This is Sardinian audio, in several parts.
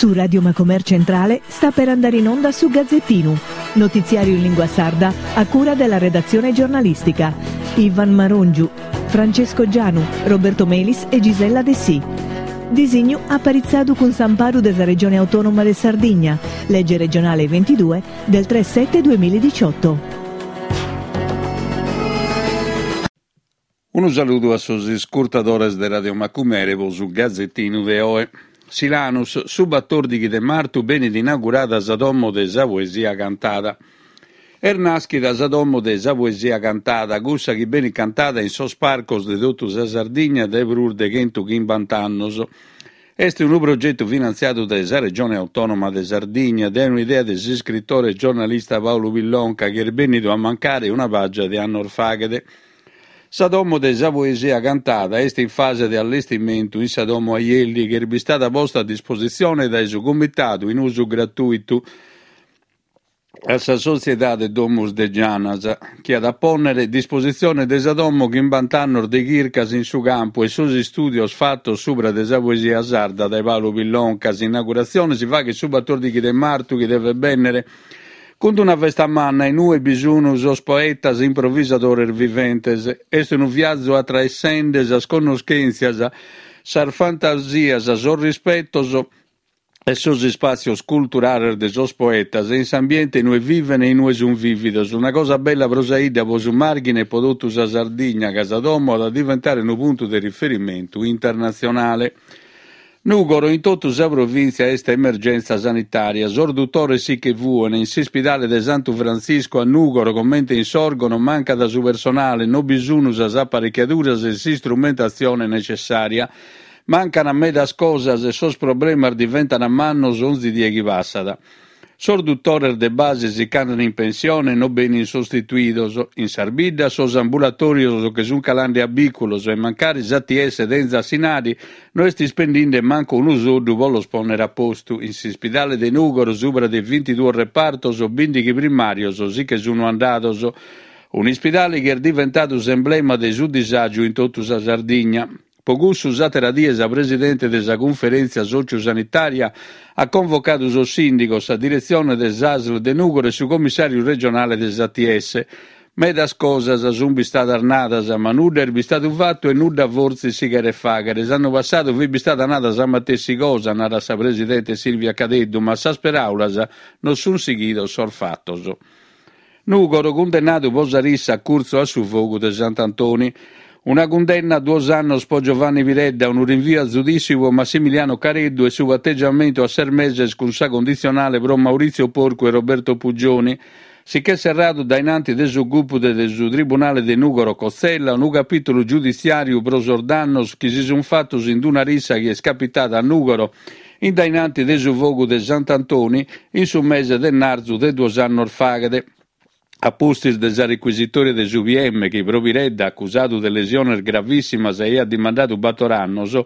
Su Radio Macomer Centrale sta per andare in onda su Gazzettinu, notiziario in lingua sarda a cura della redazione giornalistica. Ivan Marongiu, Francesco Gianu, Roberto Melis e Gisella Dessì. Disignu aparitzadu cun s'amparu de sa Regione Autonoma de Sardigna, lege regionale 22 del 3 7 2018. Unu saludu a sos iscurtadores de Radio Macumere pro su Gazetinu de oe. Silanus, su batòrdighi de martu benit inaugurada sa Domo de sa Poesia Cantada. Est nàschida sa Domo de sa Poesia Cantada, cussa chi benit cantada in sos parcos de totu sa Sardigna dae prus de chentuchimbant'annos. Est unu progetu finantziadu dae sa Regione Autònoma de Sardigna, dae un'idea de s'iscritore e giornalista Pàulu Pillonca chi est bènnidu a mancare una pàgia de annos faghet. Sa Domo de sa Poesia Cantada est in fase de allestimentu in sa Domo Aielli chi est bistada posta a dispositzione dae su Comitadu in usu gratùitu a sa sotziedade Domus de Janas, chi at a pònnere a dispositzione de sa domo chimbant'annos de chircas in su campu e sos istùdios fatos subra de sa poesia sarda dae Pàulu Pillonca. S'inauguratzione si faghet su batòrdighi de martu chi devet bènnere cun una festa manna in ue bi sun sos poetas improvisadores viventes. Est unu viazu atraessende sas connoschèntzias, sas fantasias, sos rispetos e sos ispàtzios culturales de sos poetas in s'ambiente in ue viven e in ue sun vìvidos. Una cosa bella pro sa 'idda, pro su Màrghine e pro totu sa Sardigna, ca sa domo at a diventare unu puntu de riferimentu internatzionale. Nùgoro, in totu sa provìntzia est emergèntzia sanitària. Sos dutores si che fuen. In s'ispidale de Santu Frantziscu a Nùgoro, comente in Sòrgono, mancat su personale, no bi sun sas aparechiaduras e s'istrumentatzione necessària. Mancan medas cosas e sos problemas diventan mannos onzi die chi passat. Sos dutores de base si ch'andan in pensione e no benin sostituidos. In sas biddas sos ambulatòrios che sun calande a bìculos e mancari s'ATS tenzat s'inari no est ispendinde mancu unu soddu pro los pònnere a postu. In s'ispidale de Nùgoro subra de bintiduos repartos bìndighi primàrios si che sunu andados. Un'ispidale chi est diventadu s'emblema de su disàgiu in totu sa Sardigna. Pro cussu s'àtera die sa presidente de sa Cunferèntzia Sòtziu-Sanitària at convocadu sos sìndigos, sa diretzione de s'ASL de Nùgoro e su commissàriu regionale de s'ATS. Medas cosas sunt bistadas nadas, ma nudda est bistadu fatu e nudda fortzis si cheret fàghere. S'annu passadu fit bistada nada sa matessi cosa, narat sa presidente Silvia Cadeddu, ma a sas peràulas non sunt sighidos sos fatos. Nùgoro, cundennadu pro sa rissa a curtzu a su fogu de Sant'Antoni. Una cundenna a duos annos pro Giovanni Piredda, unu rinviu a zudìssiu pro Massimiliano Careddu e su pategiamentu a ses meses cun sa conditzionale pro Maurizio Porcu e Roberto Puggioni. Si ch'est serradu dae in anti de su gupu de su Tribunale de Nùgoro Cozzella unu capìtulu giuditziàriu pro sos dannos chi si sunt fatos in una rissa chi est capitada a Nùgoro in dae in anti de su fogu de Sant'Antoni in su mese de narzu de duos annos faghet, a pustis de sa requisitòria de su PM chi pro Piredda, acusadu de lesiones gravìssimas, aiat dimandadu bator annos.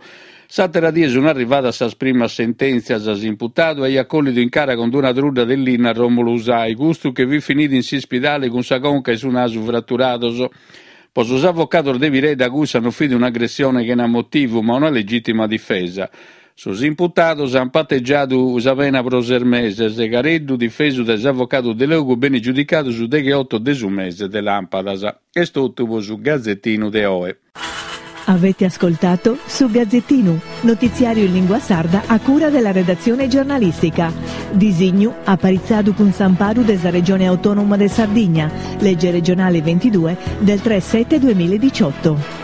S'àtera die sunt arrivadas sas primas sentèntzias, s'imputadu aiat collidu in cara cun una trudda de linna a Romolo Usai, custu che fit finidu in s'ispidale cun sa conca e su nasu fraturados. Pro sos avocados de Piredda cussa non fit un'agressione chena motivu, ma una legìtima difesa. Sos imputados ant pategiadu sa pena pro ses meses. Careddu, difesu dae s'avocadu Delogu, benit giudicadu su degheoto de su mese de làmpadas. Est totu pro su Gazetinu de oe. Avete ascoltato Su Gazzettinu, notiziario in lingua sarda a cura della redazione giornalistica. Disignu aparitzadu cun s'amparu de sa Regione Autonoma de Sardigna, legge regionale 22 del 3 7 2018.